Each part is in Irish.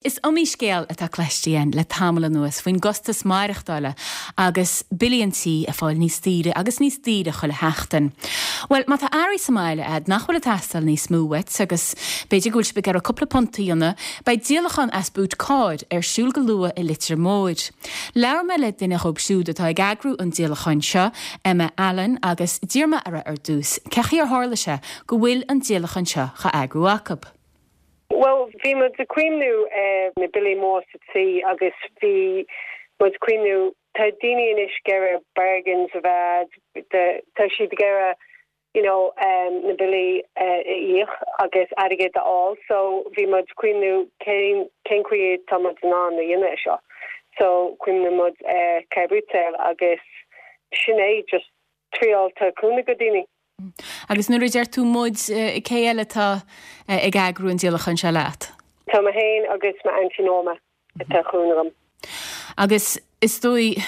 Is iomaí scéal atá cloiste againn le tamall anuas faoin gcostas maireachtála agus billí an tí ag fáil níos daoire agus níos daoire chuile sheachtain. Bhuel, má tá earraí sa mbaile a'd nach bhfuil ag teastáil níos mó uait agus b'fhéidir go bhfuil sibh ag iarraidh cúpla punt a dhéanamh, beidh díolachán as boot cairr ar siúl go luath i Leitir Móir. Labhair mé le duine dhóibh siúd atá ag eagrú an díolacháin seo, Emma Allen, agus d'iarr mé uirthi ar dtús cé chaoi ar tharla sé go bhfuil an díolachán seo dhá eagrú acu. Bhuel, bhí muid ag cuimhniú ar na billí mór sa tí agus bhí muid ag cuimhniú, tá daoine anois ag iarraidh bargains a bheith, tá siad ag iarraidh you know na billí a íoc agus airgead a fháil so bhí muid ag cuimhniú cén cén chaoi tá muid in ann a dhéanamh é seo. So chuimhnigh muid ar car boot sale agus sin é just triáil tabhairt cúnamh go daoine. Agus nuair a deir tú muid, cé eile atá ag eagrú an díolacháin seo leat? Tá mé féin agus m'aintín Norma atá ag cúnamh liom. Agus is dóigh,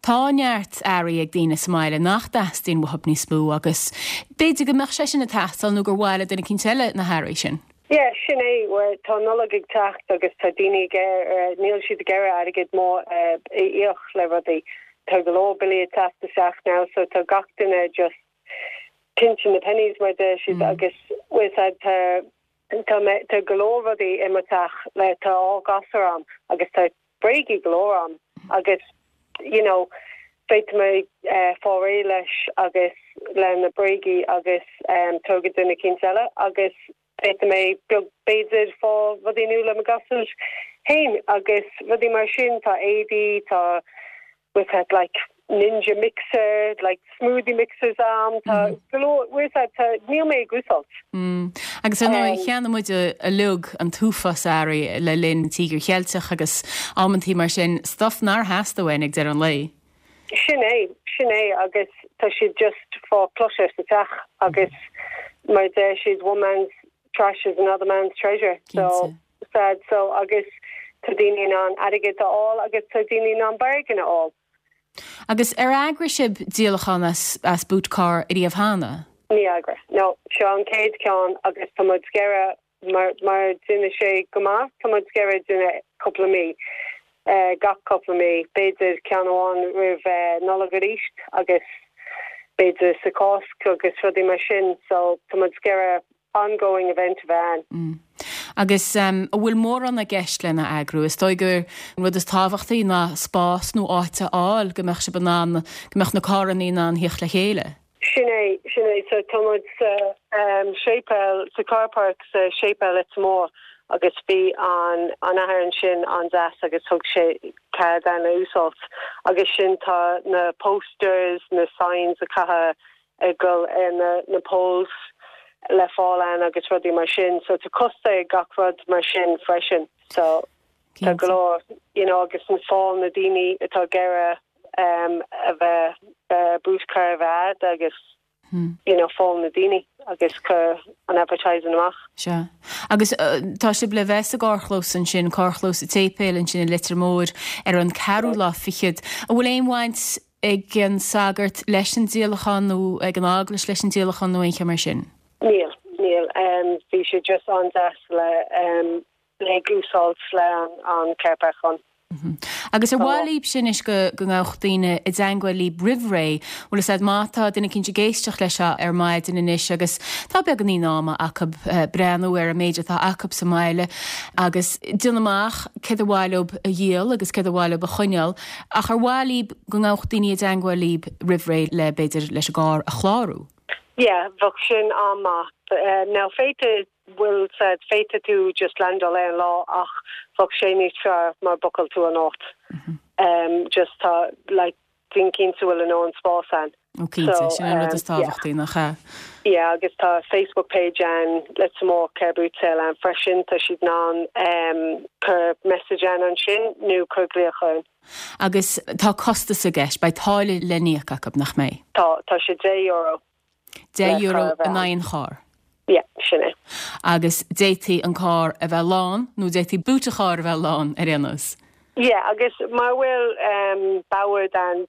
tá neart earraí ag daoine sa mbaile nach dteastaíonn uathub níos mó agus b'fhéidir go mbeadh sé sin ag teastáil nó gur mhaith le duine eicínt eile na hearraí sin. Yeah, sin é. Bhuel, tá Nollaig ag teacht agus tá daoine ag iarraidh, níl siad ag iarraidh airgead mór a íoc le rudaí. Tá go leor billí ag teacht isteach now so tá gach duine just pinching the pennies mar a deir siad agus bhfuil fhios a'd tá tá mé tá go leor rudaí i mo teach le tá 12 gasúr a'm agus tá bréagaí go leor a'm agus you know féadfaidh mé fáil réidh leis agus le na bréagaí agus tabhairt go duine eicínt eile agus féadfaidh mé beag b'fhéidir fáil rudaí nua le mo gasúir féin agus rudaí mar sin tá éadaí tá bhfuil fhios a'd like ninja mixer like smoothie mixers a'm tá go leor bhfuil fhios a'd tá níl mé ag úsáid. Mm. Agus ar ndóigh, cheannaigh muid uilig an t-uafás earraí le linn Tíogar Cheilteach agus amantaí mar sin, stuff nár theastaigh uainn ag deireadh an lae. Sin é, sin é agus tá siad just fá clutter sa teach agus mar a deir siad one man's trash is another man's treasure. So, sad so agus tá daoine in ann airgead a fháil agus tá daoine in ann bargain a fháil. Agus ar eagraigh sibh díolachán as as boot car ariamh cheana? Níor eagraigh. No, seo an chéad ceann agus tá muid ag iarraidh mar mar déanann sé go maith, tá muid ag iarraidh déanamh cúpla mí, gach cúpla mí, b'fhéidir ceann amháin roimh Nollaig arís agus b'fhéidir sa Cásc agus rudaí mar sin so tá muid ag iarraidh ongoing event a bheith ann. Agus an bhfuil mórán i gceist lena eagrú? Is dóigh gur an rud is tábhachtaí ná spás nó áit a fháil go mbeadh sibh in ann, go mbeadh na carranna in ann theacht le chéile. Sin é, sin é. So tá muid sa séipéal, sa car park sa séipéal Leitir Móir agus bhí an an athair ansin an-deas agus thug sé cead dúinn a úsáid agus sin tá na posters, na signs a caitheadh ag dul ar na na poles le fáil ann agus rudaí mar sin so tá costas ag gach rud mar sin freisin so tá go leor you know agus na fáil na daoine atá ag iarraidh um, a bheith uh, boot car a bheith a'd agus hmm. you know fáil na daoine agus cur an advertising amach. Sea. Agus uh, tá sibh le bheith sa gcarrchlós ansin, carrchlós an tséipéil ansin i Leitir Móir ar an ceathrú lá fichead. An bhfuil aon bhaint ag an sagart leis an díolachán nó ag an eaglais leis an díolachán nó aon cheo mar sin? Níl, níl. Bhí sé just an-deas le le úsáid le an car park ann. Agus ar mhaith libhse anois go go ngabhadh daoine i dteangmháil libh roimh ré, bhfuil fhios a'd má tá duine eicínt ag éisteacht leis seo ar maidin anois agus tá beagáinín ama acu breathnú ar an méid atá acu sa mbaile agus déanamh amach céard ar mhaith leob a dhíol agus céard ar mhaith leob a choinneáil ach ar mhaith libh go ngabhadh daoine i dteangmháil libh roimh ré le, b'fhéidir, leis an gcarr a chlárú. Yeah, bheadh sin an-maith. Now féadfaidh, bhfuil 's a'd, féadfaidh tú just landáil ar an lá ach bheadh sé níos fearr má bookáil tú an áit. Just tá, like, déan cinnte bhfuil a ndóthain spás ann. Ó cinnte, sin an rud is tábhachtaí, nach ea? Yeah, agus tá Facebook page ann, Leitir Móir Car Boot Sale ann freisin, tá siad in ann cur message ann ansin nó cur glaoch orainn. Agus tá costas i gceist, beidh táille le n-íoc acu, nach mbeidh? Tá, tá sé €10. €10 in aghaidh an chairr? Yeah, sin é. Agus d'fhéadfaí an carr a bheith lán, nó d'fhéadfaí boot an chairr a bheith lán, ar aon nós. Yeah, agus má bhfuil bord ann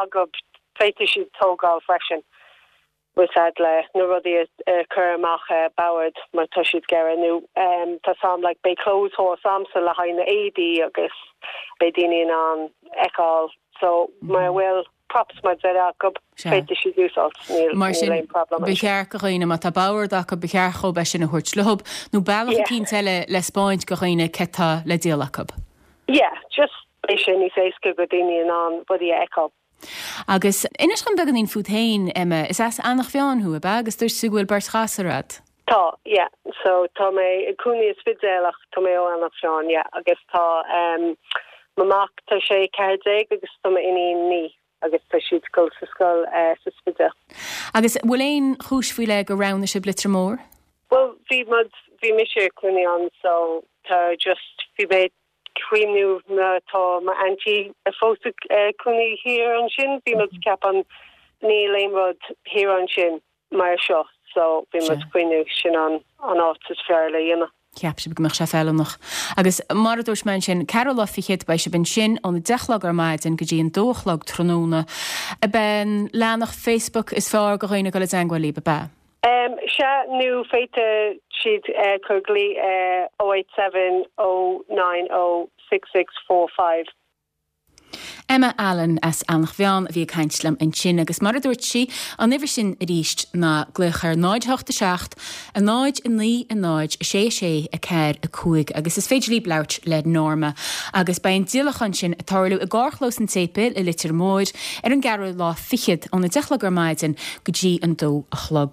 agaibh, féadfaidh siad tógáil freisin. Bhfuil a fhios a'd le na rudaí a chur amach bord má tá siad ag iarraidh nó tá 's a'm like beidh clothes horse a'msa le haghaidh na éadaí agus beidh daoine in ann fheiceáil so mura bhfuil props mar deir acu féadfaidh siad úsáid níl Mar sin aon problem ba cheart go dhaoine má tá bord acu ba cheart dhób é sin a thabhairt leob nó bealach eicínt eile le spáint go dhaoine cé tá le díol acu. Yeah just beidh sé níos éasca go daoine in ann rudaí a fheiceáil. Agus inis dom beagáinín fút féin, Emma. Is as Eanach Mheáin thú, ab ea? Agus dúirt tú go bhfuil beirt ghasúr a'd. Tá, yeah. So tá mé ag cónaí i Spidéal ach tá mé ó Eanach Mheáin, yeah. Agus tá em mo mhac, tá sé 14 agus tá m'iníon 9 agus tá siad ag dul sa scoil eh sa Spidéal. Agus bhfuil aon chúis faoi leith gur roghnaigh sibh Leitir Móir? Bhuel, bhí muid, bhí mise ag cónaí ann so tá just, bhí mé cuimhniú mar tá m'aintín fós ag cónaí thiar ansin, bhí muid ceapann níl aon rud thiar ansin mar seo so bhí muid cuimhniú sin an an áit is fearr le dhéanamh. Cheap sibh go mbeadh sé feiliúnach. Agus mar a dúirt mé ansin, ceathrú lá fichead, beidh sibh ansin ón 10 a chlog ar maidin go dtí an 2 a chlog tráthnóna. Ab é an leathanach Facebook is fearr go dhaoine dul i dteangmháil libh, ab ea? Sea, nó féadfaidh siad cur glaoch ar 087 090 6645. Emma Allen as Eanach Mheáin a bhí ag caint liom ansin agus mar a dúirt sí, an uimhir sin arís ná glaoch ar 0 8 7 0 9 0 6 6 4 5 agus is féidir libh labhairt le Norma agus beidh an díolachán sin ag tarlú i gcarrchlós an tSéipéil i Leitir Móir ar an gceathrú lá fichead óna 10 a chlog ar maidin go dtí an dó a chlog.